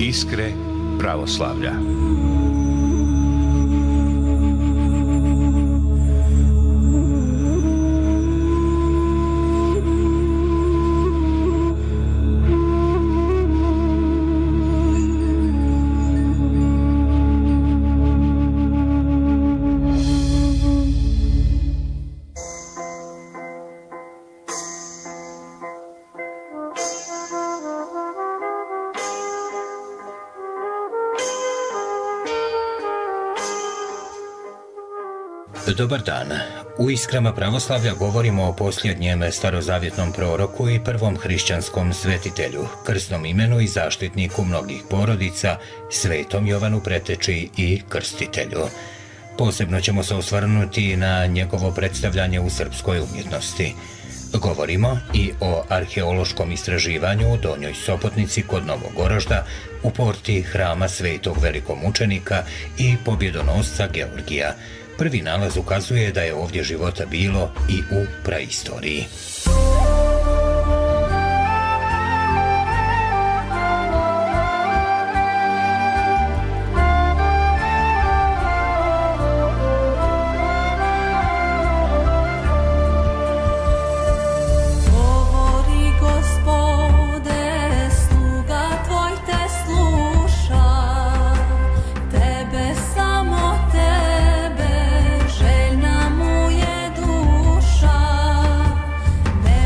Iskre pravoslavlja. Dobar dan. U Iskrama pravoslavlja govorimo o posljednjem starozavjetnom proroku i prvom hrišćanskom svetitelju, krsnom imenu i zaštitniku mnogih porodica, svetom Jovanu Preteči i krstitelju. Posebno ćemo se osvrnuti na njegovo predstavljanje u srpskoj umjetnosti. Govorimo i o arheološkom istraživanju u Donjoj Sopotnici kod Novog Orožda, u porti hrama svetog velikomučenika i pobjedonosca Georgija. Prvi nalaz ukazuje da je ovdje života bilo i u praistoriji. Ne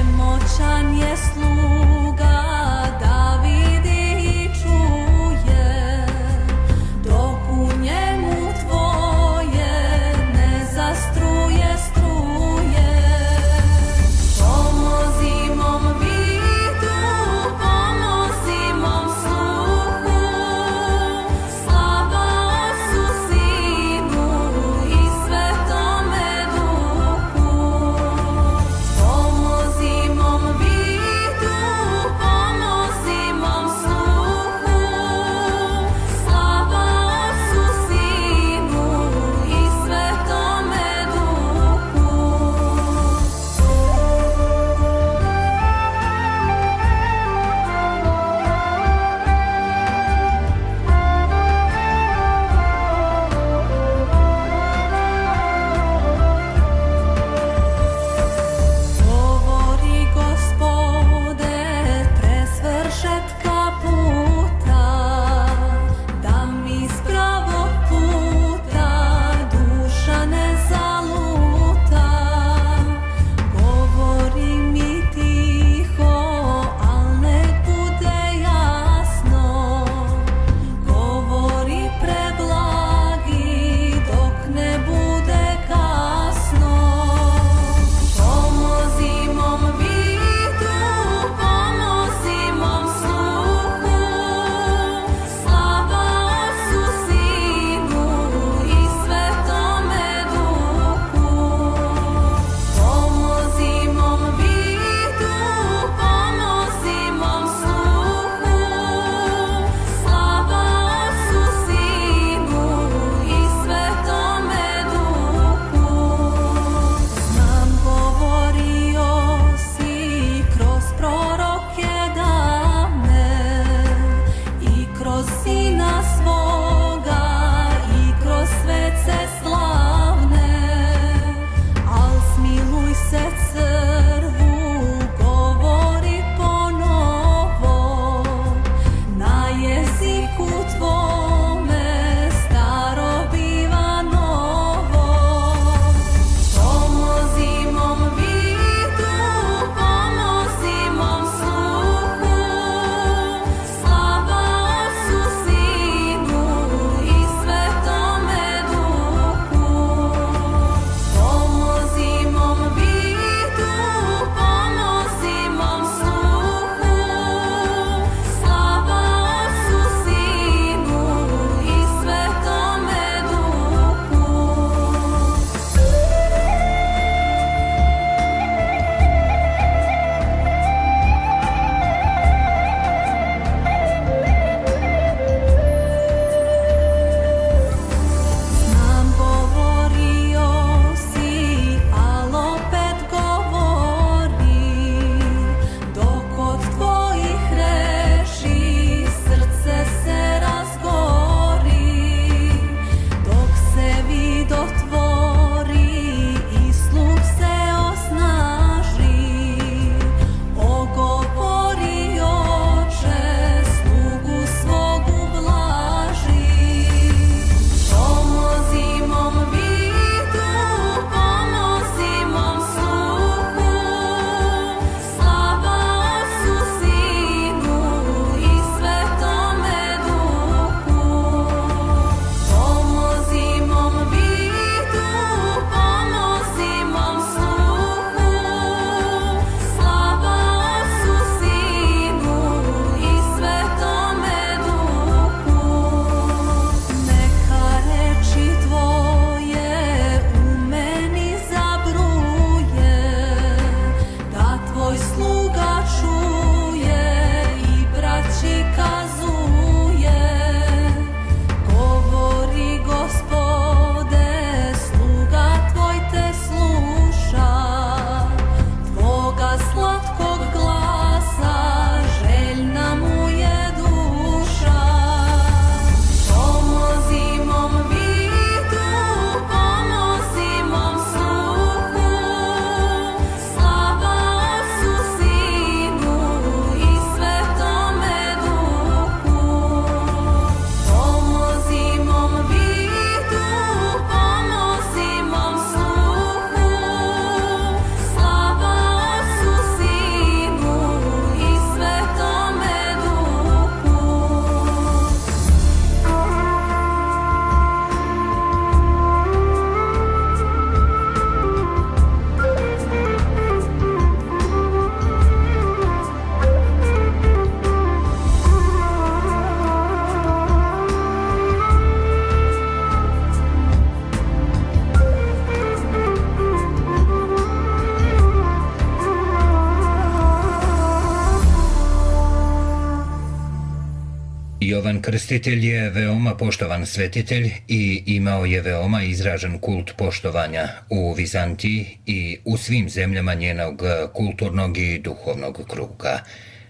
Jovan Krstitelj je veoma poštovan svetitelj i imao je veoma izražen kult poštovanja u Vizantiji i u svim zemljama njenog kulturnog i duhovnog kruga.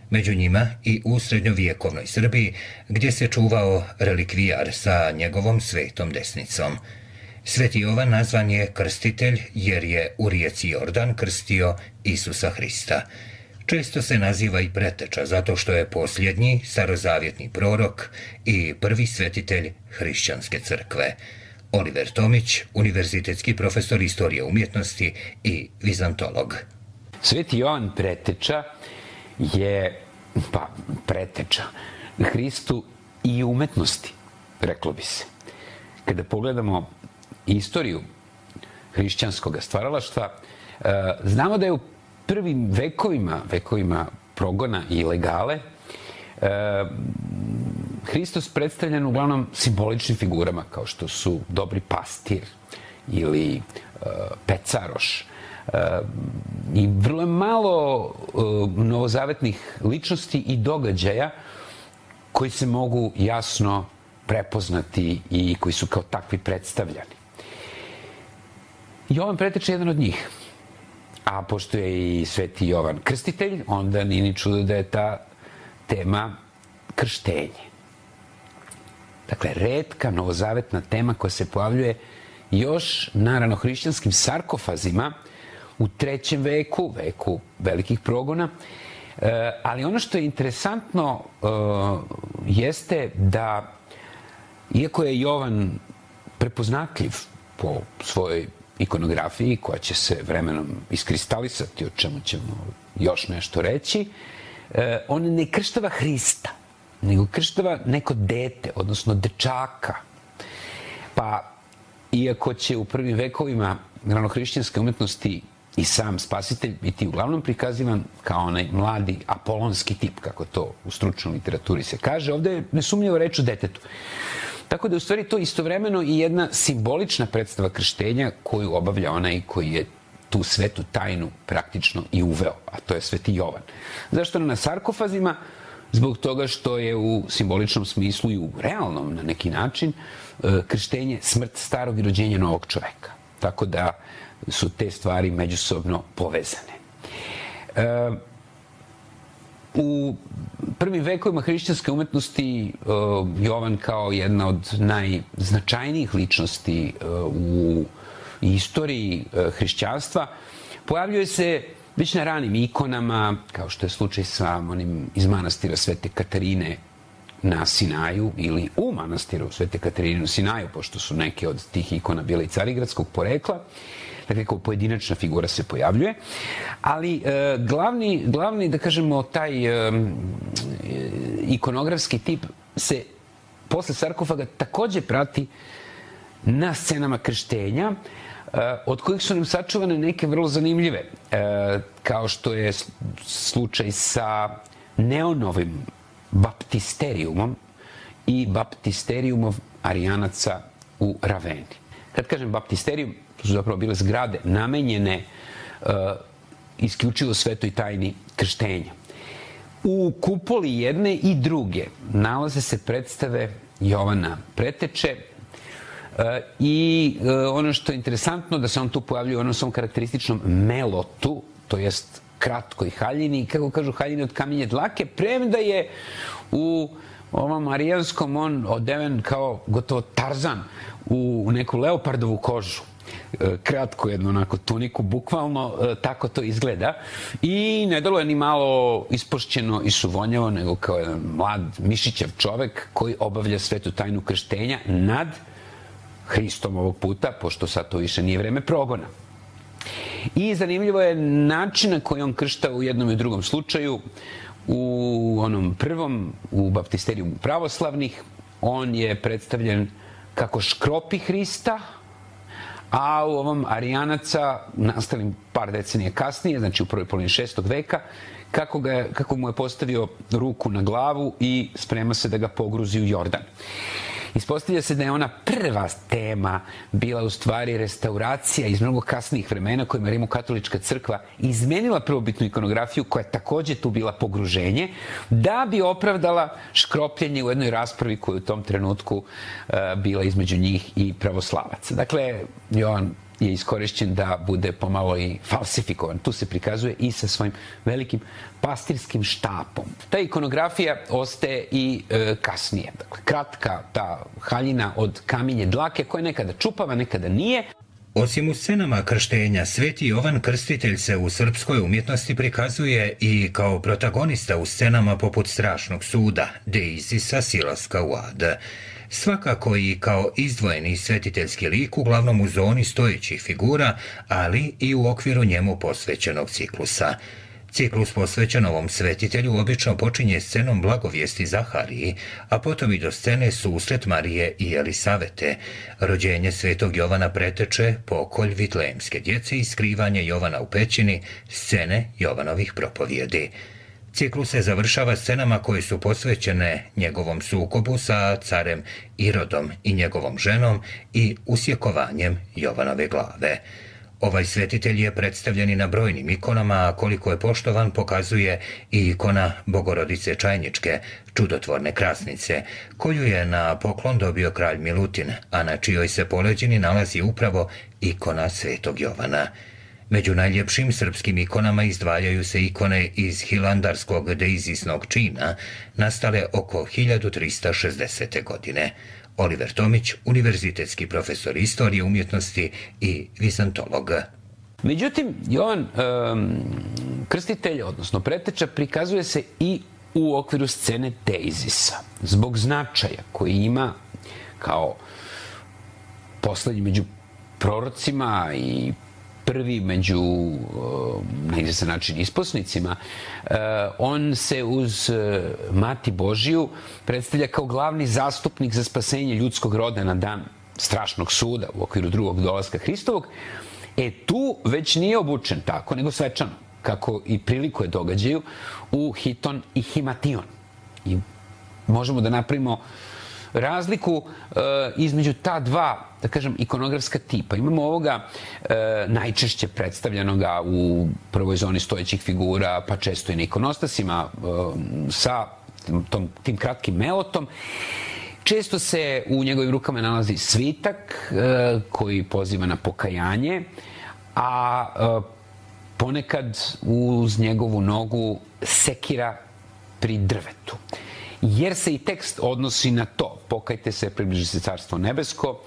Među njima i u srednjovjekovnoj Srbiji, gdje se čuvao relikvijar sa njegovom svetom desnicom. Sveti Jovan nazvan je krstitelj jer je u rijeci Jordan krstio Isusa Hrista. Često se naziva i preteča zato što je posljednji starozavjetni prorok i prvi svetitelj hrišćanske crkve. Oliver Tomić, univerzitetski profesor istorije umjetnosti i vizantolog. Sveti Jovan preteča je preteča Hristu i umetnosti, reklo bi se. Kada pogledamo istoriju hrišćanskog stvaralaštva, znamo da je u prvim vekovima progona i legale, Hristos predstavljen uglavnom simboličnim figurama, kao što su dobri pastir ili pecaroš. I vrlo je malo novozavetnih ličnosti i događaja koji se mogu jasno prepoznati i koji su kao takvi predstavljani. Jovan preteča je jedan od njih. A pošto je i sveti Jovan Krstitelj, onda nije ni čudo da je ta tema krštenje. Dakle, retka novozavetna tema koja se pojavljuje još na ranohrišćanskim sarkofazima u 3. veku velikih progona. Ali ono što je interesantno jeste da, iako je Jovan prepoznatljiv po svojoj ikonografiji, koja će se vremenom iskristalisati, o čemu ćemo još nešto reći, on ne krštava Hrista, nego krštava neko dete, odnosno dečaka. Pa, iako će u prvim vekovima ranohrišćanske umetnosti i sam spasitelj biti uglavnom prikazivan kao onaj mladi apolonski tip, kako to u stručnoj literaturi se kaže, ovde je nesumnjivo reč o detetu. Tako da je u stvari to istovremeno i jedna simbolična predstava krštenja koju obavlja onaj koji je tu svetu tajnu praktično i uveo, a to je sveti Jovan. Zašto na sarkofazima? Zbog toga što je u simboličnom smislu i u realnom na neki način krštenje smrt starog i rođenje novog čoveka. Tako da su te stvari međusobno povezane. U prvim vekovima hrišćanske umetnosti Jovan kao jedna od najznačajnijih ličnosti u istoriji hrišćanstva pojavljuje se već na ranim ikonama, kao što je slučaj sa onim iz manastira Svete Katarine na Sinaju ili u manastiru Svete Katarine na Sinaju, pošto su neke od tih ikona bile i carigradskog porekla. Dakle, kao pojedinačna figura se pojavljuje. Ali glavni, da kažemo, taj ikonografski tip se posle sarkofaga takođe prati na scenama krštenja, od kojih su nam sačuvane neke vrlo zanimljive, kao što je slučaj sa Neonovim baptisterijumom i baptisterijumom Arijanaca u Raveni. Kad kažem baptisterijum, to su zapravo bile zgrade namenjene isključivo svetoj tajni krštenja. U kupoli jedne i druge nalaze se predstave Jovana Preteče i ono što je interesantno da se on tu pojavljuje u onom svom karakterističnom melotu, to jest kratkoj haljini, kako kažu haljini od kamenje dlake, premda je u ovom arijanskom on odeven kao gotovo Tarzan u neku leopardovu kožu. Kratko jednu onako tuniku, bukvalno tako to izgleda. I ne delo je ni malo ispošćeno i suvonjavo, nego kao jedan mlad mišićav čovek koji obavlja svetu tajnu krštenja nad Hristom ovog puta, pošto sad to više nije vreme progona. I zanimljivo je način na koji on kršta u jednom i drugom slučaju. U onom prvom, u baptisterijumu pravoslavnih, on je predstavljen kako škropi Hrista, a u ovom Arijanaca, nastalim par decenija kasnije, znači u prvoj polovini 6. veka, kako mu je postavio ruku na glavu i sprema se da ga pogruzi u Jordan. Ispostavlja se da je ona prva tema bila u stvari restauracija iz mnogo kasnijih vremena kojima Rimokatolička crkva izmenila prvobitnu ikonografiju, koja je takođe tu bila pogruženje, da bi opravdala škropljenje u jednoj raspravi koja je u tom trenutku bila između njih i pravoslavaca. Dakle, Jovan je iskorišćen da bude pomalo i falsifikovan. Tu se prikazuje i sa svojim velikim pastirskim štapom. Ta ikonografija ostaje i kasnije. Dakle, kratka ta haljina od kamenje dlake koja je nekada čupava, nekada nije. Osim u scenama krštenja, Sveti Jovan Krstitelj se u srpskoj umjetnosti prikazuje i kao protagonista u scenama poput Strašnog suda, Deizisa, silaska u ad. Svakako i kao izdvojeni svetiteljski lik, uglavnom u zoni stojećih figura, ali i u okviru njemu posvećenog ciklusa. Ciklus posvećen ovom svetitelju obično počinje scenom blagovijesti Zahariji, a potom i do scene susret Marije i Elisavete. Rođenje Svetog Jovana preteče pokolj vitlejemske djece i skrivanje Jovana u pećini, scene Jovanovih propovjedi. Ciklus se završava scenama koje su posvećene njegovom sukobu sa carem Irodom i njegovom ženom i usjekovanjem Jovanove glave. Ovaj svetitelj je predstavljen i na brojnim ikonama, a koliko je poštovan pokazuje i ikona Bogorodice Čajničke, čudotvorne krasnice, koju je na poklon dobio kralj Milutin, a na čijoj se poleđini nalazi upravo ikona Svetog Jovana. Među najljepšim srpskim ikonama izdvajaju se ikone iz hilandarskog deizisnog čina, nastale oko 1360. godine. Oliver Tomić, univerzitetski profesor istorije umjetnosti i vizantolog. Međutim, Jovan Krstitelj, odnosno preteča, prikazuje se i u okviru scene Deizisa. Zbog značaja koji ima kao poslednji među prorocima i prvi među, na izvestan način, isposnicima, on se uz Mati Božiju predstavlja kao glavni zastupnik za spasenje ljudskog roda na dan strašnog suda u okviru drugog dolaska Hristovog. Tu već nije obučen tako, nego svečano, kako i prilikuje događaju, u hiton i himation. I možemo da napravimo razliku između ta dva, da kažem, ikonografska tipa. Imamo ovoga najčešće predstavljenoga u prvoj zoni stojećih figura, pa često i na ikonostasima, sa tim kratkim melotom. Često se u njegovim rukama nalazi svitak koji poziva na pokajanje, a ponekad uz njegovu nogu sekira pri drvetu. Jer se i tekst odnosi na to. Pokajte se, približi se Carstvo nebesko.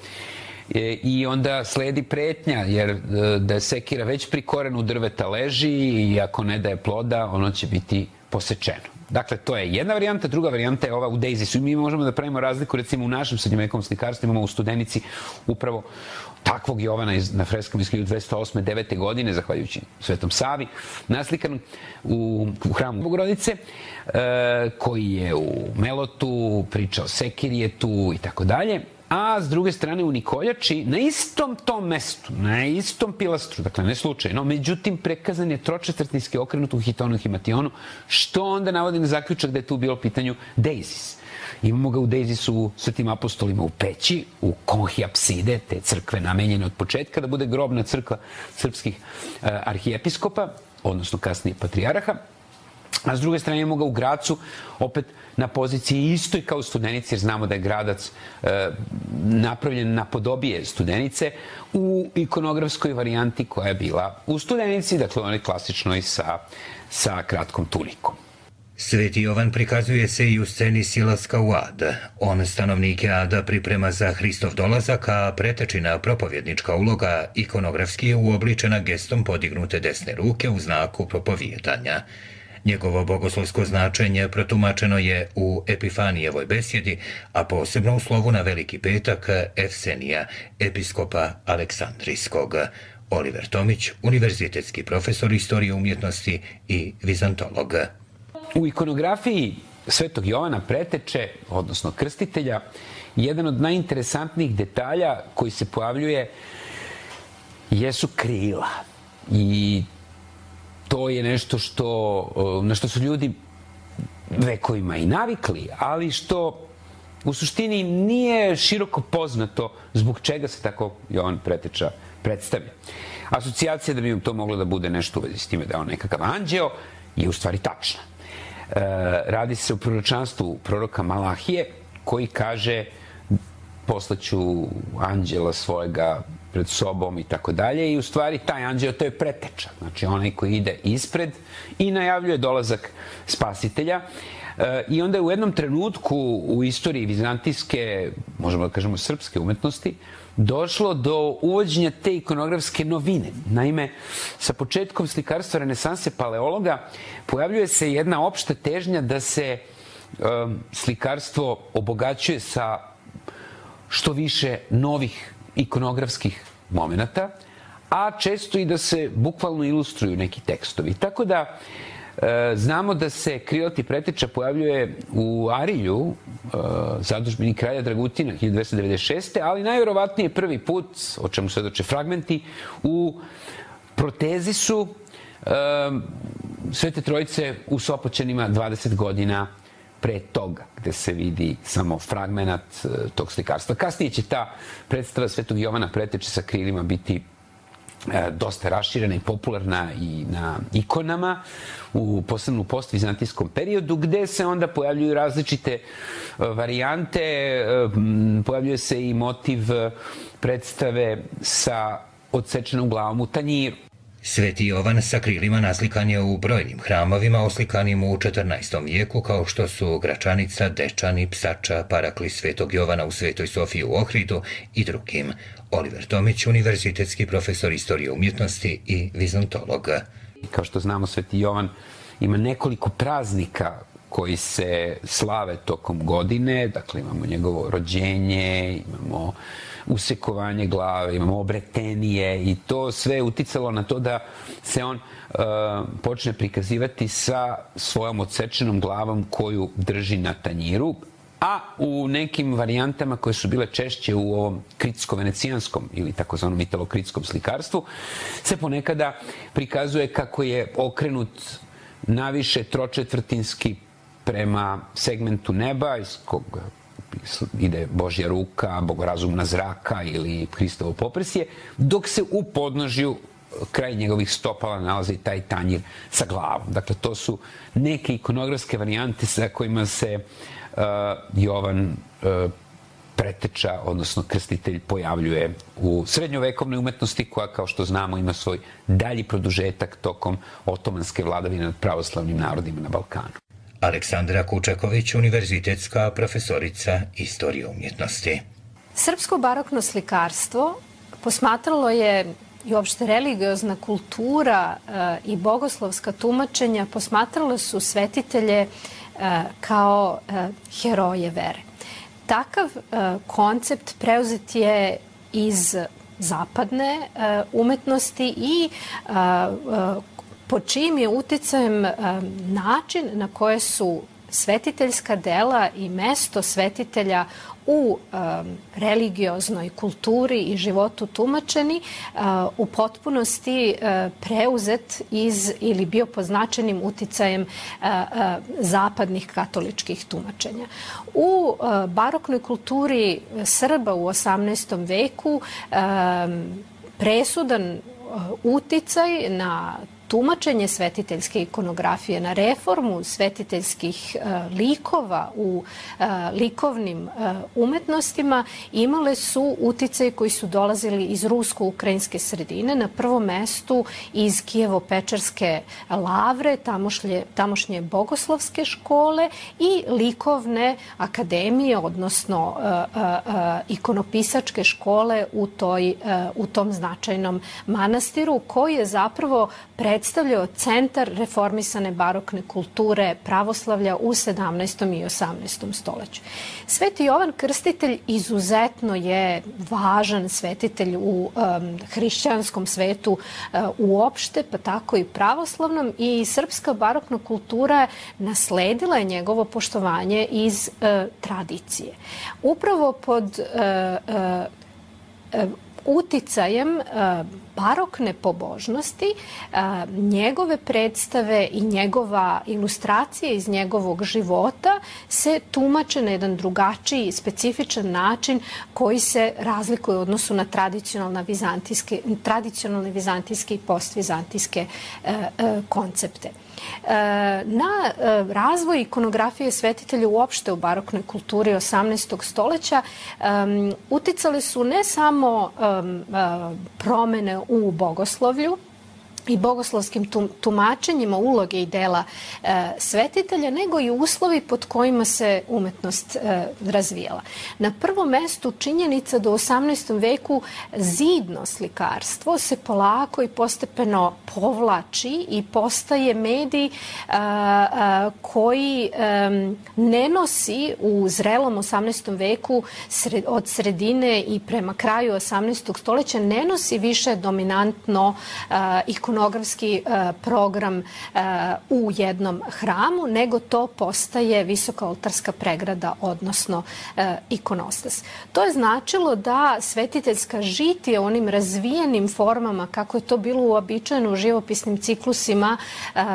I onda sledi pretnja, jer da je sekira već pri korenu drveta leži i ako ne daje ploda, ono će biti posečeno. Dakle, to je jedna varijanta. Druga varijanta je ova u Deizisu. Mi možemo da pravimo razliku, recimo u našem srednjovekovnom slikarstvu imamo u Studenici upravo takvog Jovana na freskama iz 1208-9. godine, zahvaljujući Svetom Savi, naslikanom u hramu Bogorodice, koji je u Melotu, priča o sekiri je tu i tako dalje. A s druge strane u Nikoljači, na istom tom mestu, na istom pilastru, dakle ne slučajno, međutim prekazan je tročetvrtinski okrenut u hitonu i himationu, što onda navodi na zaključak da je tu bilo pitanju Deizis. Imamo ga u Deizisu u Svetim apostolima u peći, u konhi apside, te crkve namenjene od početka da bude grobna crkva srpskih arhijepiskopa, odnosno kasnije patrijaraha. A s druge strane imamo ga u Gracu, opet na poziciji istoj kao u Studenici, jer znamo da je Gradac napravljen na podobije Studenice u ikonografskoj varijanti koja je bila u Studenici, dakle onaj klasičnoj sa kratkom tunikom. Sveti Jovan prikazuje se i u sceni silaska u ad. On stanovnike ada priprema za Hristov dolazak, a pretečina propovjednička uloga ikonografski je uobličena gestom podignute desne ruke u znaku propovijedanja. Njegovo bogoslovsko značenje protumačeno je u Epifanijevoj besjedi, a posebno u slovu na Veliki petak Efsenija, episkopa Aleksandrijskog. Oliver Tomić, univerzitetski profesor istorije umjetnosti i vizantolog. U ikonografiji Svetog Jovana preteče, odnosno krstitelja, jedan od najinteresantnijih detalja koji se pojavljuje jesu krila. I to je nešto na što su ljudi vekovima i navikli, ali što u suštini nije široko poznato zbog čega se tako Jovan Preteča predstavlja. Asocijacija da bi to moglo da bude nešto u vezi s time da je on nekakav anđeo je u stvari tačna. Radi se o proročanstvu proroka Malahije koji kaže poslaću anđela svojega pred sobom i tako dalje i u stvari taj anđeo to je preteča, znači onaj koji ide ispred i najavljuje dolazak spasitelja. I onda je u jednom trenutku u istoriji vizantijske, možemo da kažemo srpske umetnosti, došlo do uvođenja te ikonografske novine. Naime, sa početkom slikarstva renesanse paleologa pojavljuje se jedna opšta težnja da se slikarstvo obogaćuje sa što više novih ikonografskih momenata, a često i da se bukvalno ilustruju neki tekstovi. Tako da znamo da se Krilati Preteča pojavljuje u Arilju, zadužbini kralja Dragutina 1296. ali najverovatnije prvi put, o čemu svedoče fragmenti, u Protezisu Svete Trojice u Sopoćanima 20 godina pre toga, gde se vidi samo fragmenat tog slikarstva. Kasnije će ta predstava Svetog Jovana Preteče sa krilima biti dosta raširena i popularna i na ikonama, posebno u postvizantijskom periodu, gde se onda pojavljuju različite varijante, pojavljuje se i motiv predstave sa odsečenom glavom u tanjiru. Sveti Jovan sa krilima naslikan je u brojnim hramovima oslikanim u 14. vijeku, kao što su Gračanica, Dečani, Psača, Paraklis Svetog Jovana u Svetoj Sofiji u Ohridu i drugim. Oliver Tomić, univerzitetski profesor istorije umjetnosti i vizantolog. Kao što znamo, Sveti Jovan ima nekoliko praznika koji se slave tokom godine. Dakle, imamo njegovo rođenje, imamo usekovanje glave, imamo obretenije i to sve je uticalo na to da se on počne prikazivati sa svojom odsečenom glavom koju drži na tanjiru, a u nekim varijantama koje su bile češće u ovom kritsko-venecijanskom ili takozvanom italo-kritskom slikarstvu se ponekada prikazuje kako je okrenut naviše tročetvrtinski prema segmentu neba iz kog ide Božja ruka, bogorazumna zraka ili Hristovo poprsje, dok se u podnožju kraj njegovih stopala nalazi taj tanjir sa glavom. Dakle, to su neke ikonografske varijante sa kojima se Jovan Preteča, odnosno krstitelj, pojavljuje u srednjovekovnoj umetnosti koja, kao što znamo, ima svoj dalji produžetak tokom otomanske vladavine nad pravoslavnim narodima na Balkanu. Aleksandra Kučaković, univerzitetska profesorica istorije umjetnosti. Srpsko barokno slikarstvo posmatralo je i uopšte religiozna kultura i bogoslovska tumačenja posmatrala su svetitelje kao heroje vere. Takav koncept preuzet je iz zapadne umetnosti i pod čijim je uticajem način na koje su svetiteljska dela i mesto svetitelja u religioznoj kulturi i životu tumačeni u potpunosti preuzet iz ili bio pod značajnim uticajem zapadnih katoličkih tumačenja. U baroknoj kulturi Srba u 18. veku presudan uticaj na tumačenje svetiteljske ikonografije, na reformu svetiteljskih likova u likovnim umetnostima imale su uticaj koji su dolazili iz rusko-ukrajinske sredine, na prvom mestu iz Kijevo-Pečerske lavre, tamošnje bogoslovske škole i likovne akademije, odnosno ikonopisačke škole u tom značajnom manastiru, koji je zapravo predstavljao centar reformisane barokne kulture pravoslavlja u 17. i 18. stoleću. Sveti Jovan Krstitelj izuzetno je važan svetitelj u hrišćanskom svetu uopšte, pa tako i pravoslavnom, i srpska barokna kultura nasledila je njegovo poštovanje iz tradicije. Upravo pod uticajem barokne pobožnosti, njegove predstave i njegova ilustracija iz njegovog života se tumače na jedan drugačiji, specifičan način koji se razlikuje u odnosu na tradicionalne vizantijske i postvizantijske koncepte. Na razvoj ikonografije svetitelja uopšte u baroknoj kulturi 18. stoleća uticale su ne samo promene u bogoslovlju i bogoslovskim tumačenjima uloge i dela svetitelja, nego i uslovi pod kojima se umetnost razvijala. Na prvom mestu činjenica da u 18. veku zidno slikarstvo se polako i postepeno povlači i postaje medij koji ne nosi u zrelom 18. veku od sredine i prema kraju 18. stoleća ne nosi više dominantno ikonografski program u jednom hramu, nego to postaje visoka oltarska pregrada, odnosno ikonostas. To je značilo da svetiteljska žitija u onim razvijenim formama, kako je to bilo uobičajeno u živopisnim ciklusima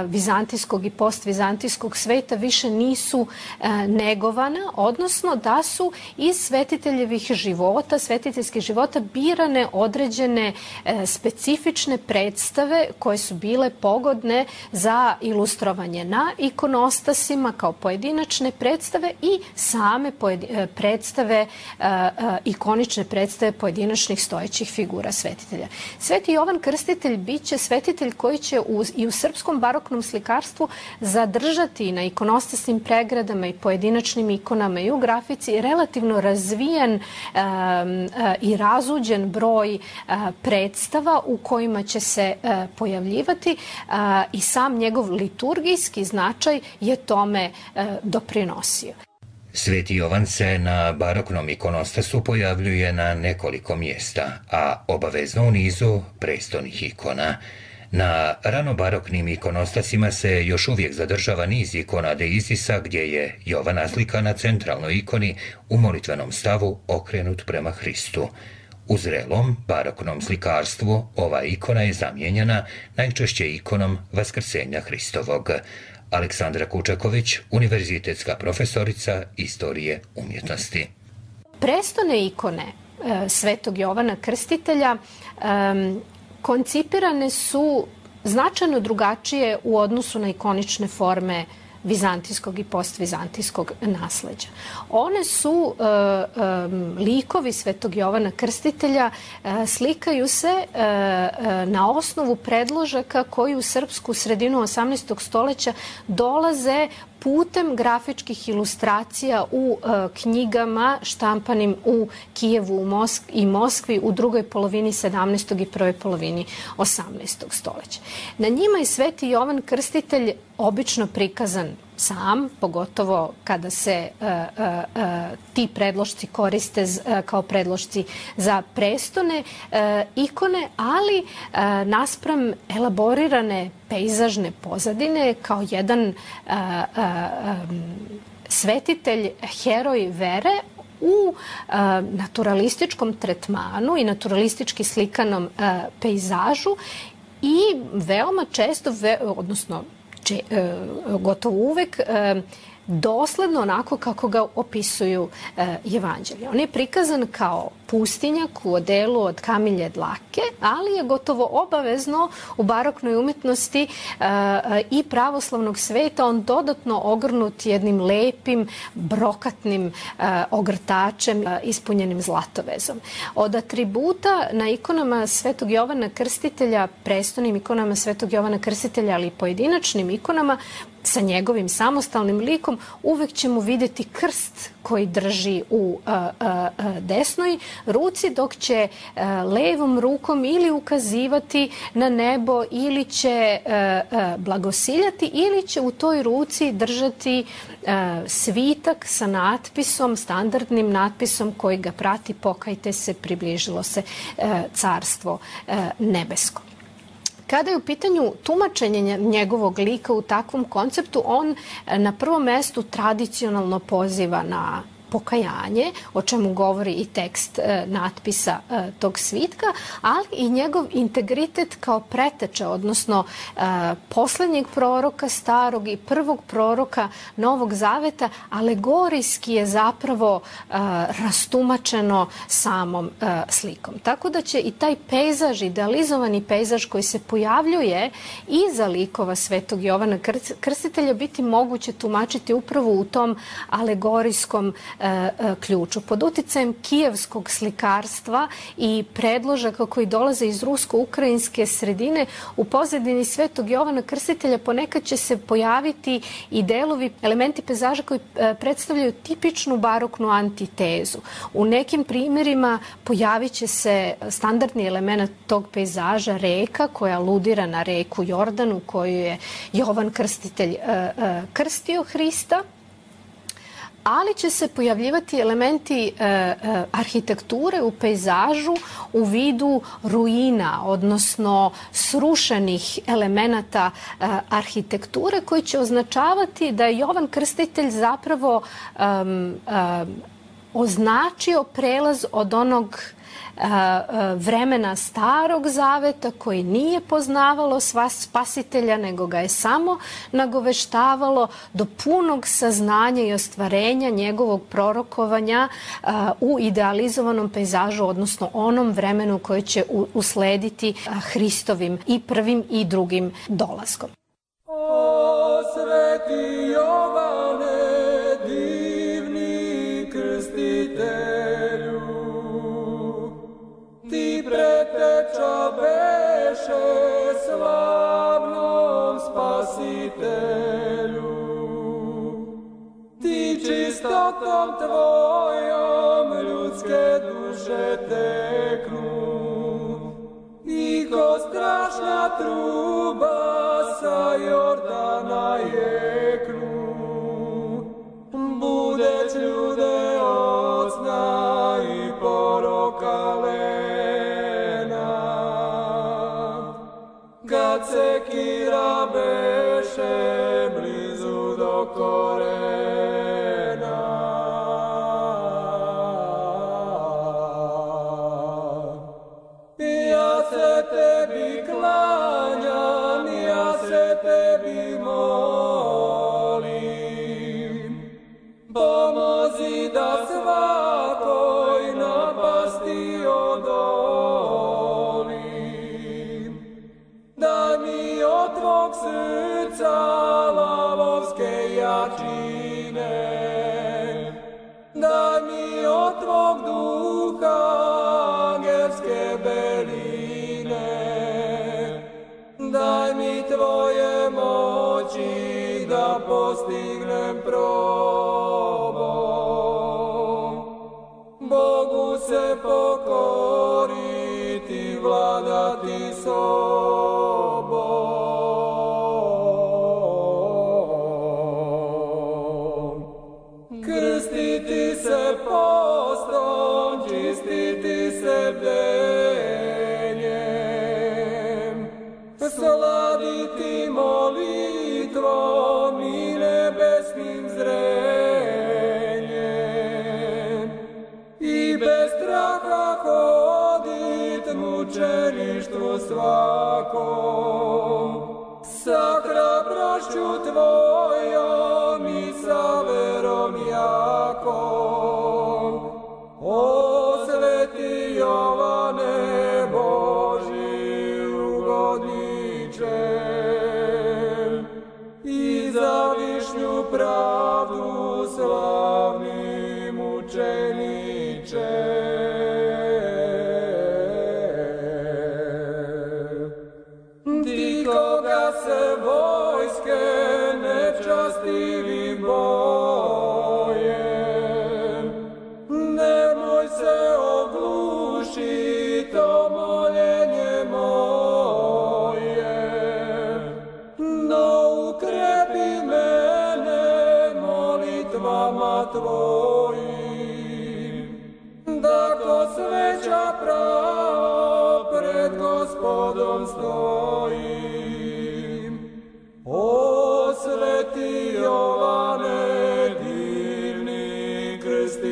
vizantijskog i postvizantijskog sveta, više nisu negovana, odnosno da su iz svetiteljevih života, svetiteljskih života birane određene specifične predstave koje su bile pogodne za ilustrovanje na ikonostasima kao pojedinačne predstave i same predstave, ikonične predstave pojedinačnih stojećih figura svetitelja. Sveti Jovan Krstitelj biće svetitelj koji će i u srpskom baroknom slikarstvu zadržati na ikonostasnim pregradama i pojedinačnim ikonama i u grafici relativno razvijen i razuđen broj predstava u kojima će se pojavljivati i sam njegov liturgijski značaj je tome doprinosio. Sveti Jovan se na baroknom ikonostasu pojavljuje na nekoliko mjesta, a obavezno u nizu prestolnih ikona. Na ranobaroknim ikonostasima se još uvijek zadržava niz ikona de Isisa gdje je Jovan naslika na centralnoj ikoni u molitvenom stavu okrenut prema Hristu. U zrelom baroknom slikarstvu ova ikona je zamijenjena najčešće ikonom Vaskrsenja Hristovog. Aleksandra Kučaković, univerzitetska profesorica istorije umjetnosti. Prestone ikone Svetog Jovana Krstitelja koncipirane su značajno drugačije u odnosu na ikonične forme vizantijskog i postvizantijskog nasleđa. One su likovi Svetog Jovana Krstitelja, slikaju se na osnovu predložaka koji u srpsku sredinu 18. stoleća dolaze putem grafičkih ilustracija u knjigama štampanim u Kijevu i Moskvi u drugoj polovini 17. i prvoj polovini 18. stoleća. Na njima je Sveti Jovan Krstitelj obično prikazan sam, pogotovo kada se ti predlošci koriste kao predlošci za prestone ikone, ali naspram elaborirane pejzažne pozadine kao jedan svetitelj, heroj vere u naturalističkom tretmanu i naturalistički slikanom pejzažu i veoma često, odnosno gotovo uvek dosledno onako kako ga opisuju evanđelje. On je prikazan kao pustinjak u odelu od kamilje dlake, ali je gotovo obavezno u baroknoj umjetnosti i pravoslavnog sveta on dodatno ogrnut jednim lepim, brokatnim ogrtačem ispunjenim zlatovezom. Od atributa na ikonama Svetog Jovana Krstitelja, prestonim ikonama Svetog Jovana Krstitelja, ali i pojedinačnim ikonama sa njegovim samostalnim likom, uvek ćemo vidjeti krst koji drži u desnoj ruci, dok će levom rukom ili ukazivati na nebo, ili će blagosiljati, ili će u toj ruci držati svitak sa natpisom, standardnim natpisom koji ga prati: pokajte se, približilo se carstvo nebesko. Kada je u pitanju tumačenje njegovog lika u takvom konceptu, on na prvom mestu tradicionalno poziva na pokajanje, o čemu govori i tekst natpisa tog svitka, ali i njegov integritet kao preteče, odnosno poslednjeg proroka starog i prvog proroka Novog Zaveta, alegorijski je zapravo rastumačeno samom slikom. Tako da će i taj pejzaž, idealizovani pejzaž koji se pojavljuje iza likova Svetog Jovana Krstitelja biti moguće tumačiti upravo u tom alegorijskom ključu. Pod uticajem kijevskog slikarstva i predložaka koji dolaze iz rusko-ukrajinske sredine, u pozadini Svetog Jovana Krstitelja ponekad će se pojaviti i delovi, elementi pejzaža koji predstavljaju tipičnu baroknu antitezu. U nekim primjerima pojavit će se standardni element tog pejzaža, reka koja aludira na reku Jordan u kojoj je Jovan Krstitelj krstio Hrista, ali će se pojavljivati elementi arhitekture u pejzažu u vidu ruina, odnosno srušenih elemenata arhitekture koji će označavati da je Jovan Krstitelj zapravo označio prelaz od onog vremena Starog Zaveta koji nije poznavalo spasitelja, nego ga je samo nagoveštavalo do punog saznanja i ostvarenja njegovog prorokovanja u idealizovanom pejzažu, odnosno onom vremenu koje će uslediti Hristovim i prvim i drugim dolaskom. O sveti Jovane, divni krstitelju, ti preteča beše slavnom spasitelju. Ti čistotom tvojom ljudske duše teknu i ko strašna truba sa Jordana jeknu. Budeć ljude od sna i poroka lena, kad sekira beše blizu do korena. Ja se tebi klanjam, ja se tebi molim, pomozi da svakoj napasti odolim. Daj mi od tvog srca lavovske jačine, daj mi od tvog duha angelske beline, daj mi tvoje moći da postignem probom. Bogu se pokoriti, vladati sobom. Krstiti se postom, čistiti se bdenjem, sladiti molitvom i nebesnim zrenjem i bez straha hodit mučeništvu svakom, sa hrabrošću tvojom i sa verom jakom. O sveti Jovane, Božji ugodniče, i za višnju pravdu slavni mučeniče. Ti koga se vojske nečastivih boje, nemoj se oglušit o moljenje moje, no ukrepi mene molitvama tvojim, da ko sveća pravo pred Gospodom stojim. O sveti Jovane, divni krstitelju,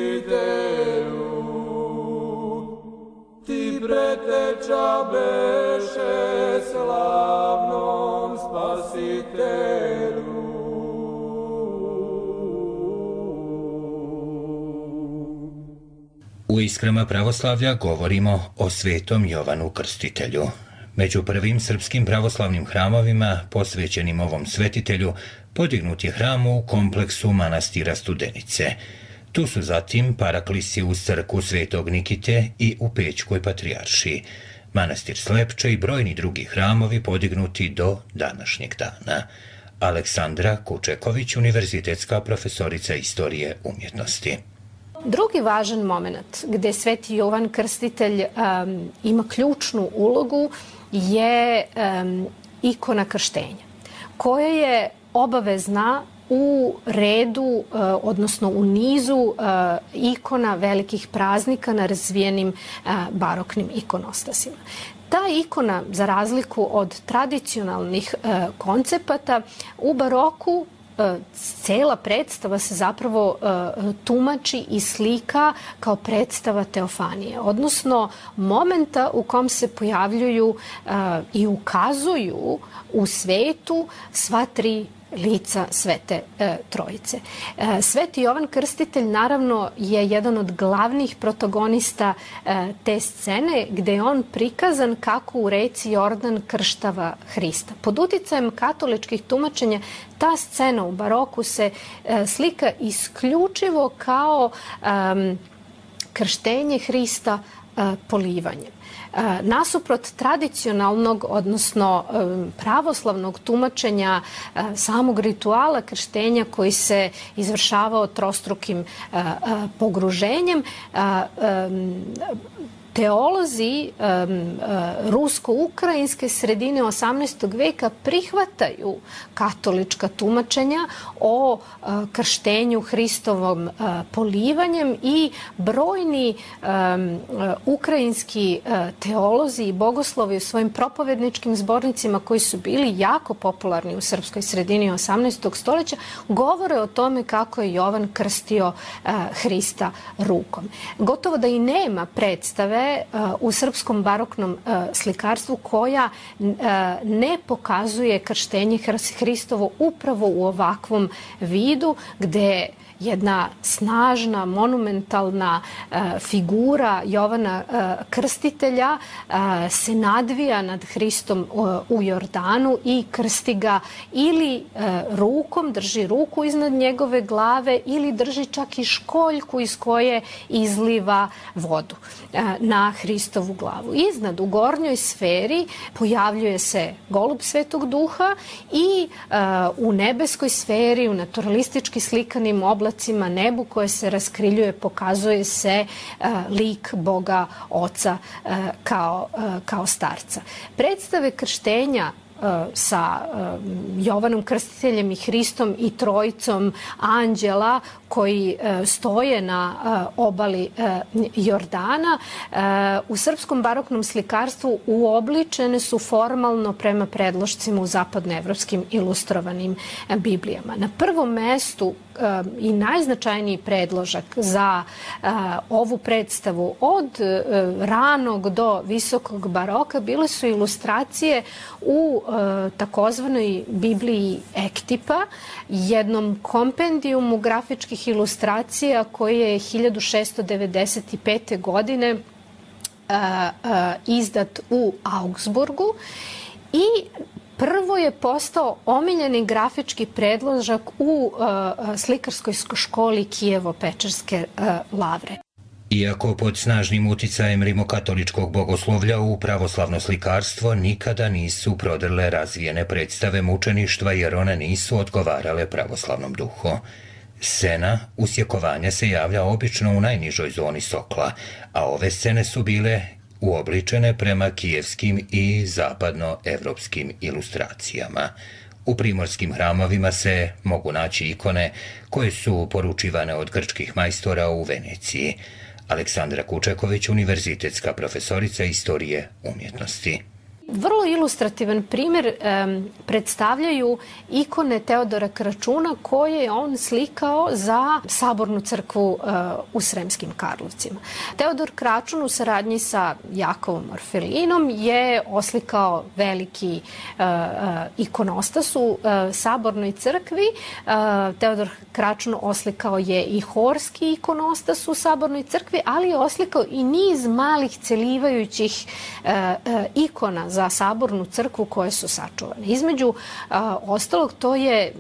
U Iskrama pravoslavlja govorimo o Svetom Jovanu Krstitelju. Među prvim srpskim pravoslavnim hramovima posvećenim ovom svetitelju podignut je hram u kompleksu manastira Studenice. Tu su zatim paraklisi uz crkvu Svetog Nikite i u Pećkoj patrijaršiji, manastir Slepče i brojni drugi hramovi podignuti do današnjeg dana. Aleksandra Kučeković, univerzitetska profesorica istorije umjetnosti. Drugi važan moment gde Sveti Jovan Krstitelj ima ključnu ulogu je ikona krštenja, koja je obavezna u redu, odnosno u nizu ikona velikih praznika na razvijenim baroknim ikonostasima. Ta ikona, za razliku od tradicionalnih koncepata, u baroku cela predstava se zapravo tumači i slika kao predstava teofanije, odnosno momenta u kom se pojavljuju i ukazuju u svetu sva tri lica Svete Trojice. Sveti Jovan Krstitelj naravno je jedan od glavnih protagonista te scene, gde je on prikazan kako u reci Jordan krštava Hrista. Pod uticajem katoličkih tumačenja ta scena u baroku se slika isključivo kao krštenje Hrista polivanjem. Nasuprot tradicionalnog, odnosno pravoslavnog tumačenja samog rituala krštenja koji se izvršavao trostrukim pogruženjem, teolozi rusko-ukrajinske sredine 18. veka prihvataju katolička tumačenja o krštenju Hristovom polivanjem i brojni ukrajinski teolozi i bogoslovi u svojim propovedničkim zbornicima koji su bili jako popularni u srpskoj sredini 18. stoljeća govore o tome kako je Jovan krstio Hrista rukom. Gotovo da i nema predstave u srpskom baroknom slikarstvu koja ne pokazuje krštenje Hristovo upravo u ovakvom vidu, gde jedna snažna, monumentalna figura Jovana Krstitelja se nadvija nad Hristom u Jordanu i krsti ga ili rukom, drži ruku iznad njegove glave ili drži čak i školjku iz koje izliva vodu na Hristovu glavu. Iznad, u gornjoj sferi, pojavljuje se golub Svetog Duha i u nebeskoj sferi, u naturalistički slikanim oblacima nebu koje se raskriljuje, pokazuje se lik Boga Oca kao starca. Predstave krštenja sa Jovanom Krstiteljem i Hristom i trojicom anđela koji stoje na obali Jordana u srpskom baroknom slikarstvu uobličene su formalno prema predlošcima u zapadnoevropskim ilustrovanim Biblijama. Na prvom mestu i najznačajniji predložak za ovu predstavu od ranog do visokog baroka bile su ilustracije u takozvanoj Bibliji Ektipa, jednom kompendijumu grafičkih ilustracija koje je 1695. godine izdat u Augsburgu i prvo je postao omiljeni grafički predložak u slikarskoj školi Kijevo-Pečerske lavre. Iako pod snažnim uticajem rimokatoličkog bogoslovlja u pravoslavno slikarstvo nikada nisu prodrle razvijene predstave mučeništva jer one nisu odgovarale pravoslavnom duhu. Scena usjekovanja se javlja obično u najnižoj zoni sokla, a ove scene su bile uobličene prema kijevskim i zapadnoevropskim ilustracijama. U primorskim hramovima se mogu naći ikone koje su poručivane od grčkih majstora u Veneciji. Aleksandra Kučeković, univerzitetska profesorica istorije umjetnosti. Vrlo ilustrativan primjer predstavljaju ikone Teodora Kračuna koje je on slikao za Sabornu crkvu u Sremskim Karlovcima. Teodor Kračun u saradnji sa Jakovom Orfelinom je oslikao veliki ikonostas u Sabornoj crkvi. Teodor Kračun oslikao je i horski ikonostas u Sabornoj crkvi, ali je oslikao i niz malih celivajućih ikona za Sabornu crkvu koje su sačuvane. Između ostalog, to je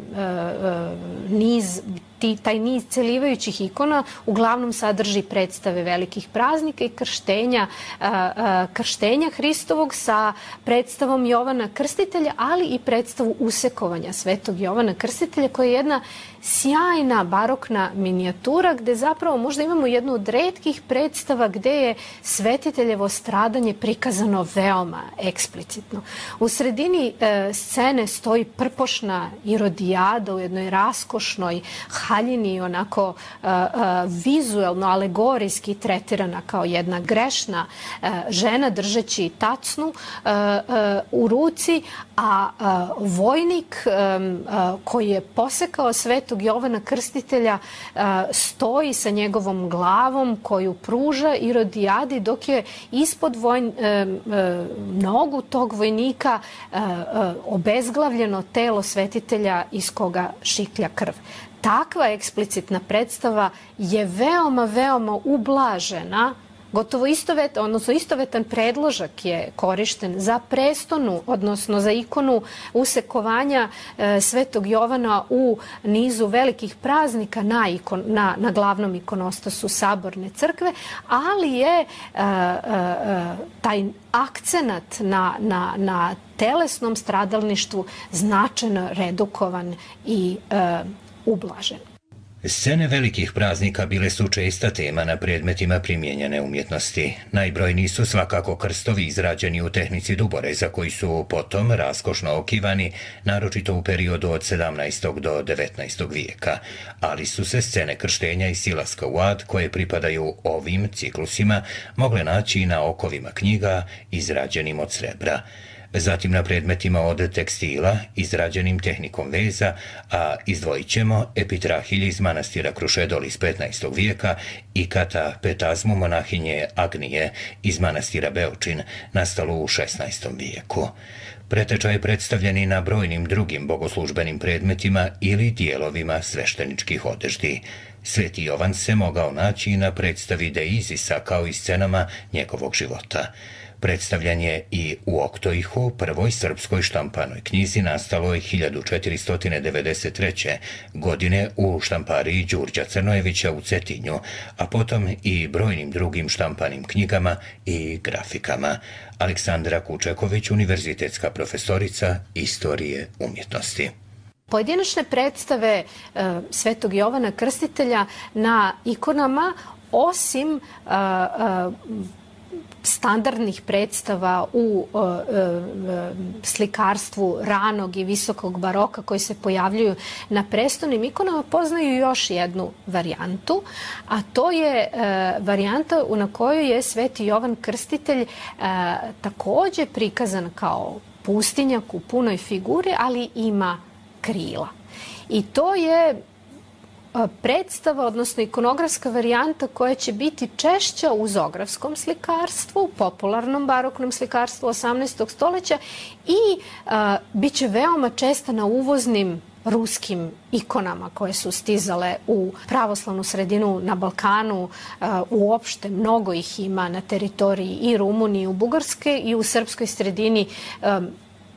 taj niz celivajućih ikona uglavnom sadrži predstave velikih praznika i krštenja Hristovog sa predstavom Jovana Krstitelja, ali i predstavu usekovanja Svetog Jovana Krstitelja, koja je jedna sjajna barokna minijatura gde zapravo možda imamo jednu od retkih predstava gde je svetiteljevo stradanje prikazano veoma eksplicitno. U sredini scene stoji prpošna Irodijada u jednoj raskošnoj haljini, onako vizuelno, alegorijski tretirana kao jedna grešna žena držeći tacnu u ruci, a vojnik koji je posekao Svetog Jovana Krstitelja stoji sa njegovom glavom koju pruža Irodijadi, dok je ispod nogu tog vojnika obezglavljeno telo svetitelja iz koga šiklja krv. Takva eksplicitna predstava je veoma, veoma ublažena. Gotovo istovetan predložak je korišten za prestonu, odnosno za ikonu usekovanja Svetog Jovana u nizu velikih praznika na glavnom ikonostasu Saborne crkve, ali je taj akcenat na telesnom stradalništvu značajno redukovan i ublažen. Scene velikih praznika bile su česta tema na predmetima primijenjene umjetnosti. Najbrojniji su svakako krstovi izrađeni u tehnici duboreza, koji su potom raskošno okivani, naročito u periodu od 17. do 19. vijeka, ali su se scene krštenja i silaska u ad, koje pripadaju ovim ciklusima, mogle naći i na okovima knjiga izrađenim od srebra. Zatim na predmetima od tekstila, izrađenim tehnikom veza, a izdvojit ćemo epitrahilje iz manastira Krušedol iz 15. vijeka i katapetazmu monahinje Agnije iz manastira Beočin, nastalo u 16. vijeku. Pretečaj predstavljen i na brojnim drugim bogoslužbenim predmetima ili dijelovima svešteničkih odeždi. Sveti Jovan se mogao naći na predstavi Deizisa kao i scenama njegovog života. Predstavljan je i u Oktoihu, prvoj srpskoj štampanoj knjizi nastaloj 1493. godine u štampariji Đurđa Crnojevića u Cetinju, a potom i brojnim drugim štampanim knjigama i grafikama. Aleksandra Kučeković, univerzitetska profesorica istorije umjetnosti. Pojedinačne predstave Svetog Jovana Krstitelja na ikonama, osim standardnih predstava u slikarstvu ranog i visokog baroka koji se pojavljuju na prestonim ikonama, poznaju još jednu varijantu, a to je varijanta na kojoj je Sveti Jovan Krstitelj takođe prikazan kao pustinjak u punoj figuri, ali ima krila. I to je predstava, odnosno ikonografska varijanta koja će biti češća u zografskom slikarstvu, popularnom baroknom slikarstvu 18. stoleća i bit će veoma česta na uvoznim ruskim ikonama koje su stizale u pravoslavnu sredinu na Balkanu. Uopšte mnogo ih ima na teritoriji i Rumunije, u Bugarske i u srpskoj sredini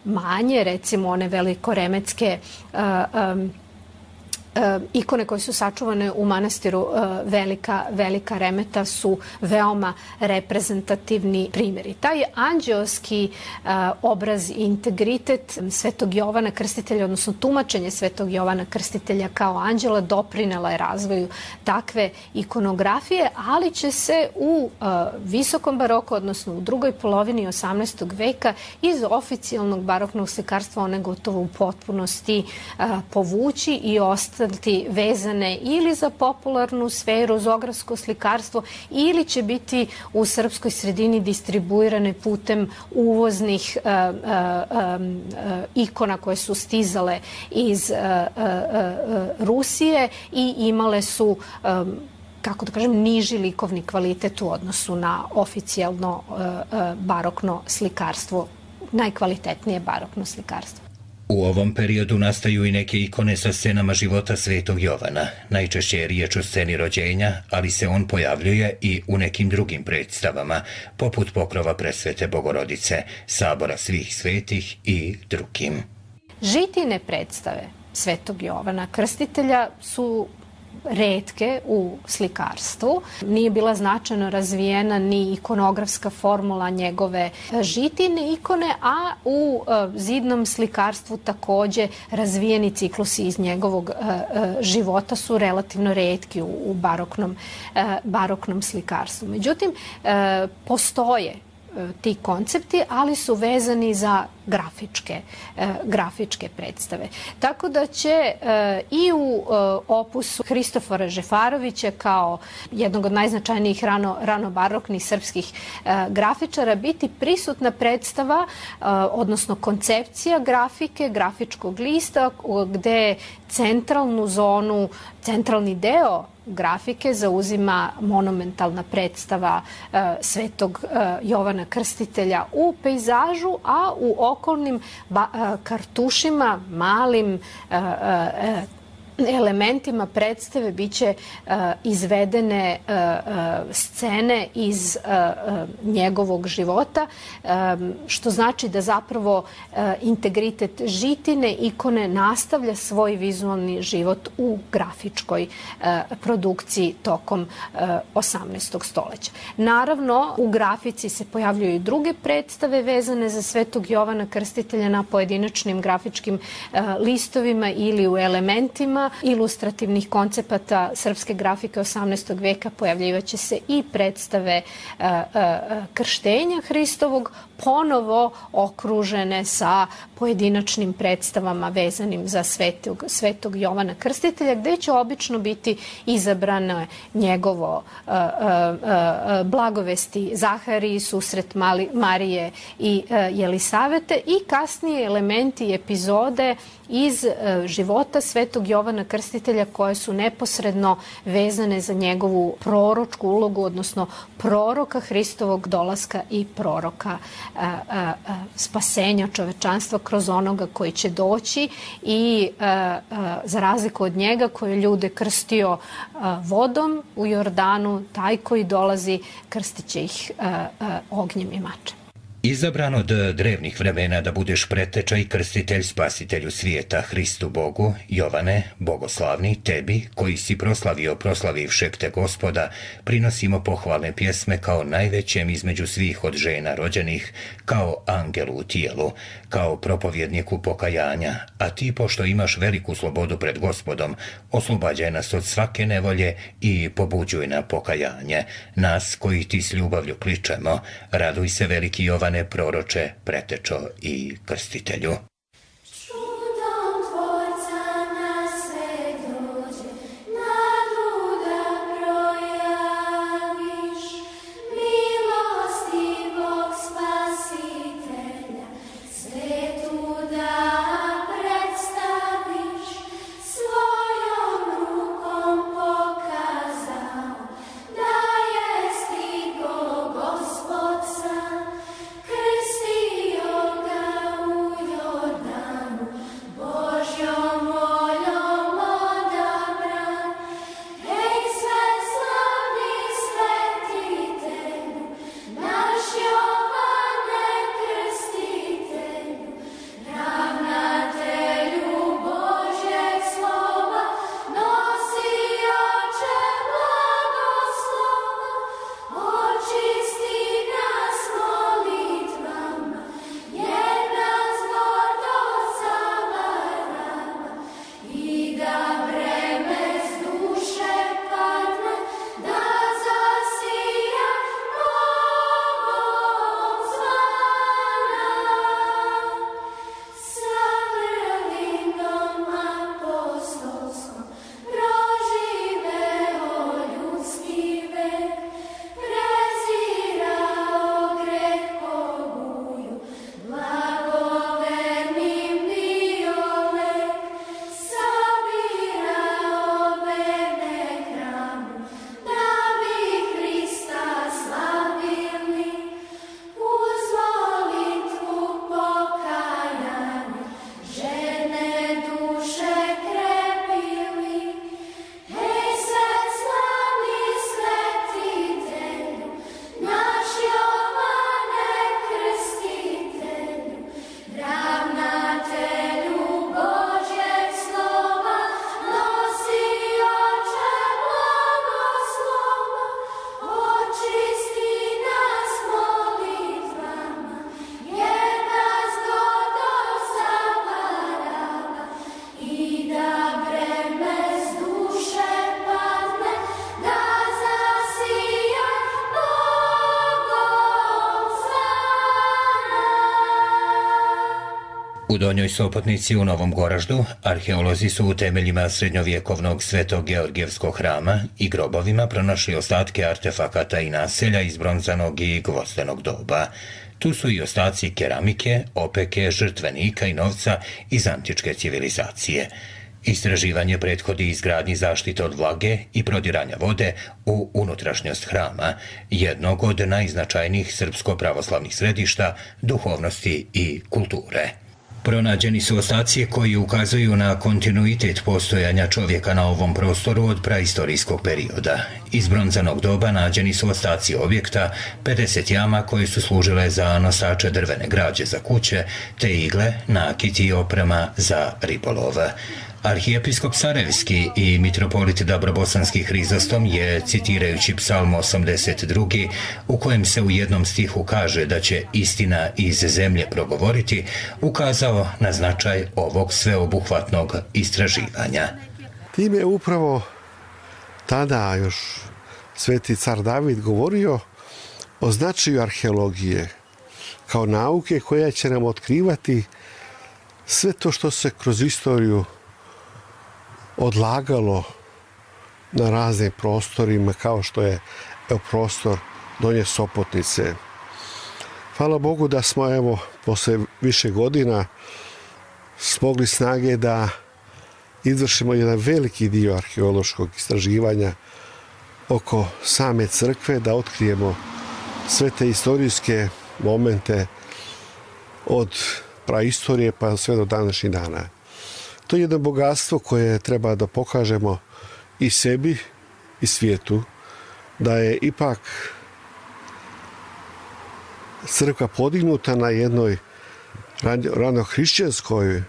manje, recimo one velikoremetske ikone koje su sačuvane u manastiru Velika Remeta su veoma reprezentativni primjeri. Taj anđeoski obraz i integritet Svetog Jovana Krstitelja, odnosno tumačenje Svetog Jovana Krstitelja kao anđela, doprinela je razvoju takve ikonografije, ali će se u visokom baroku, odnosno u drugoj polovini 18. veka, iz oficijalnog baroknog slikarstva one gotovo u potpunosti povući i ostati ostati vezane ili za popularnu sferu, zografsko slikarstvo, ili će biti u srpskoj sredini distribuirane putem uvoznih ikona koje su stizale iz Rusije i imale su, kako da kažem, niži likovni kvalitet u odnosu na oficijalno barokno slikarstvo, najkvalitetnije barokno slikarstvo. U ovom periodu nastaju i neke ikone sa scenama života Svetog Jovana. Najčešće je riječ o sceni rođenja, ali se on pojavljuje i u nekim drugim predstavama, poput pokrova Presvete Bogorodice, Sabora svih svetih i drugim. Žitine predstave Svetog Jovana Krstitelja su retke u slikarstvu. Nije bila značajno razvijena ni ikonografska formula njegove žitine ikone, a u zidnom slikarstvu takođe razvijeni ciklusi iz njegovog života su relativno retki u baroknom slikarstvu. Međutim, postoje ti koncepti, ali su vezani za grafičke predstave. Tako da će i u opusu Hristofora Žefarovića kao jednog od najznačajnijih ranobaroknih srpskih grafičara biti prisutna predstava, odnosno koncepcija grafike, grafičkog lista, gde centralnu zonu, centralni deo grafike zauzima monumentalna predstava Svetog Jovana Krstitelja u pejzažu, a u okolnim kartušima, malim elementima predstave biće izvedene scene iz njegovog života, što znači da zapravo integritet žitine ikone nastavlja svoj vizualni život u grafičkoj produkciji tokom 18. stoleća. Naravno, u grafici se pojavljuju i druge predstave vezane za Svetog Jovana Krstitelja na pojedinačnim grafičkim listovima ili u elementima ilustrativnih koncepata srpske grafike 18. veka. Pojavljivaće se i predstave krštenja Hristovog, ponovo okružene sa pojedinačnim predstavama vezanim za Svetog Jovana Krstitelja, gde će obično biti izabrano njegovo blagovesti Zahariji, susret Marije i Jelisavete i kasnije elementi i epizode iz života Svetog Jovana Krstitelja koje su neposredno vezane za njegovu proročku ulogu, odnosno proroka Hristovog dolaska i proroka spasenja čovečanstva kroz onoga koji će doći i za razliku od njega koji je ljude krstio vodom u Jordanu, taj koji dolazi krstit će ih ognjem i mačem. Izabran od drevnih vremena da budeš preteča i krstitelj spasitelju svijeta Hristu Bogu, Jovane, bogoslavni, tebi, koji si proslavivšeg te Gospoda, prinosimo pohvalne pjesme kao najvećem između svih od žena rođenih, kao angelu u tijelu, kao propovjedniku pokajanja, a ti, pošto imaš veliku slobodu pred Gospodom, oslobađaj nas od svake nevolje i pobuđuj na pokajanje. Nas, koji ti s ljubavlju kličemo, raduj se, veliki Jovane, proroče, pretečo i krstitelju. Krstio ga u Jordanu. U Donjoj Sopotnici u Novom Goraždu arheolozi su u temeljima srednjovjekovnog Svetog Georgijevskog hrama i grobovima pronašli ostatke artefakata i naselja iz bronzanog i gvozdenog doba. Tu su i ostaci keramike, opeke, žrtvenika i novca iz antičke civilizacije. Istraživanje prethodi izgradnji zaštite od vlage i prodiranja vode u unutrašnjost hrama, jednog od najznačajnijih srpsko-pravoslavnih središta duhovnosti i kulture. Pronađeni su ostaci koji ukazuju na kontinuitet postojanja čovjeka na ovom prostoru od praistorijskog perioda. Iz bronzanog doba nađeni su ostaci objekta, 50 jama koje su služile za nosače drvene građe za kuće, te igle, nakiti i oprema za ribolov. Arhijepiskop Sarajevski i mitropolit Dabrobosanski Hrizostom je, citirajući Psalm 82, u kojem se u jednom stihu kaže da će istina iz zemlje progovoriti, ukazao na značaj ovog sveobuhvatnog istraživanja. Time je upravo tada još sveti car David govorio o značaju arheologije kao nauke koja će nam otkrivati sve to što se kroz istoriju odlagalo na raznim prostorima, kao što je prostor Donje Sopotnice. Hvala Bogu da smo posle više godina smogli snage da izvršimo jedan veliki dio arheološkog istraživanja oko same crkve, da otkrijemo sve te istorijske momente od praistorije pa sve do današnjih dana. To je jedno bogatstvo koje treba da pokažemo i sebi i svijetu, da je ipak crkva podignuta na jednoj ranohrišćanskoj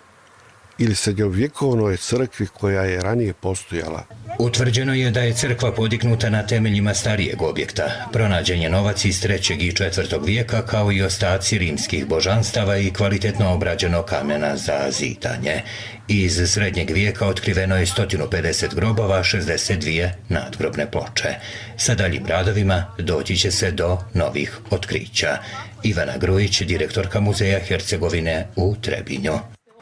ili srednjovjekovnoj crkvi koja je ranije postojala. Utvrđeno je da je crkva podignuta na temeljima starijeg objekta. Pronađen je novac iz 3. i 4. vijeka kao i ostaci rimskih božanstava i kvalitetno obrađeno kamena za zidanje. Iz srednjeg vijeka otkriveno je 150 grobova, 62 nadgrobne ploče. Sa daljim radovima doći će se do novih otkrića. Ivana Grujić, direktorka Muzeja Hercegovine u Trebinju.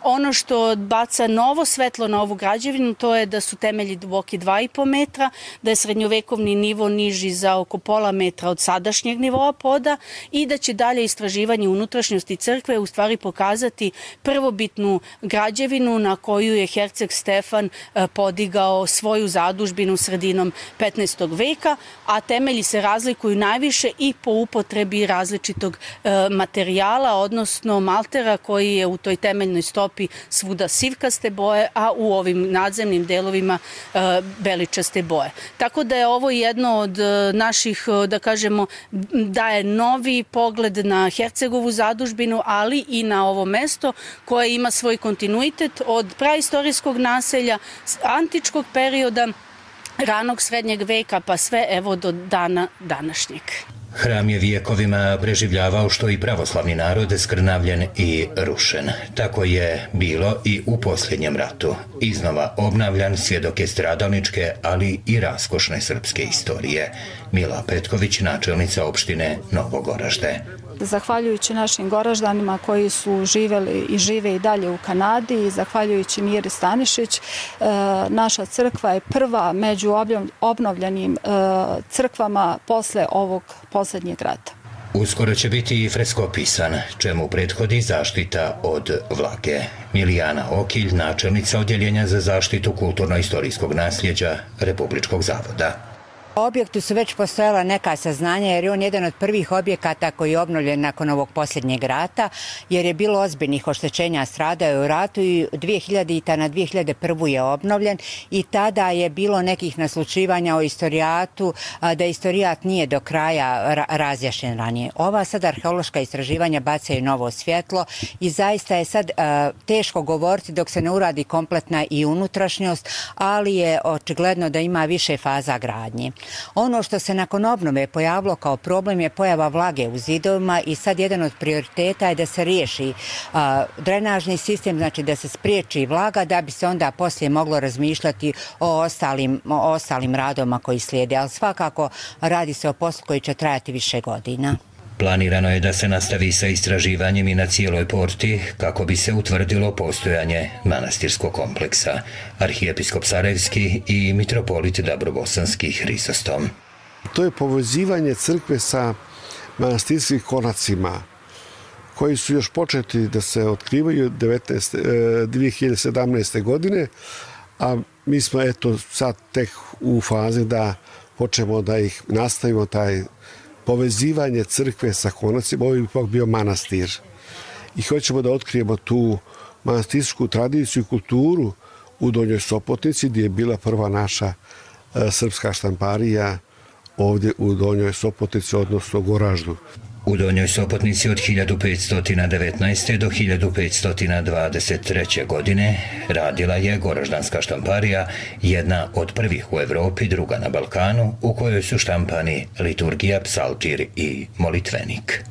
Ono što baca novo svetlo na ovu građevinu, to je da su temelji duboki 2,5 metra, da je srednjovekovni nivo niži za oko pola metra od sadašnjeg nivoa poda i da će dalje istraživanje unutrašnjosti crkve u stvari pokazati prvobitnu građevinu na koju je herceg Stefan podigao svoju zadužbinu sredinom 15. veka, a temelji se razlikuju najviše i po upotrebi različitog materijala, odnosno maltera koji je u toj temeljnoj stopi svuda sivkaste boje, a u ovim nadzemnim delovima beličaste boje. Tako da je ovo jedno od naših, da kažemo, daje novi pogled na Hercegovu zadužbinu, ali i na ovo mesto koje ima svoj kontinuitet od praistorijskog naselja, antičkog perioda, ranog srednjeg veka, pa sve evo do dana današnjeg. Hram je vijekovima preživljavao što i pravoslavni narod skrnavljen i rušen. Tako je bilo i u posljednjem ratu. Iznova obnavljan, svjedok je stradalničke, ali i raskošne srpske istorije. Mila Petković, načelnica opštine Novo Goražde. Zahvaljujući našim Goraždanima koji su živeli i žive i dalje u Kanadi i zahvaljujući Miri Stanišić, naša crkva je prva među obnovljenim crkvama posle ovog posljednjeg rata. Uskoro će biti i freskopisan, čemu prethodi zaštita od vlage. Milijana Okilj, načelnica Odjeljenja za zaštitu kulturno-istorijskog nasljeđa Republičkog zavoda. O objektu su već postojala neka saznanja jer je on jedan od prvih objekata koji je obnovljen nakon ovog posljednjeg rata jer je bilo ozbiljnih oštećenja, stradao je u ratu i 2000. na 2001. je obnovljen i tada je bilo nekih naslučivanja o istorijatu, da istorijat nije do kraja razjašnjen ranije. Ova sad arheološka istraživanja bacaju novo svjetlo i zaista je sad teško govoriti dok se ne uradi kompletna i unutrašnjost, ali je očigledno da ima više faza gradnje. Ono što se nakon obnove pojavilo kao problem je pojava vlage u zidovima i sad jedan od prioriteta je da se riješi drenažni sistem, znači da se spriječi vlaga da bi se onda poslije moglo razmišljati o ostalim radovima koji slijede, ali svakako radi se o poslu koji će trajati više godina. Planirano je da se nastavi sa istraživanjem i na cijeloj porti kako bi se utvrdilo postojanje manastirskog kompleksa. Arhijepiskop Sarajevski i mitropolit Dabrobosanski Hrisostom. To je povezivanje crkve sa manastirskim konacima koji su još početi da se otkrivaju 2017. godine, a mi smo eto sad tek u fazi da počnemo da ih nastavimo, taj povezivanje crkve sa konacima. Ovo je ipak bio manastir. I hoćemo da otkrijemo tu manastirsku tradiciju i kulturu u Donjoj Sopotnici, gdje je bila prva naša srpska štamparija ovdje u Donjoj Sopotnici, odnosno Goraždu. U Donjoj Sopotnici od 1519. do 1523. godine radila je Goraždanska štamparija, jedna od prvih u Evropi, druga na Balkanu, u kojoj su štampani liturgija, psaltir i molitvenik.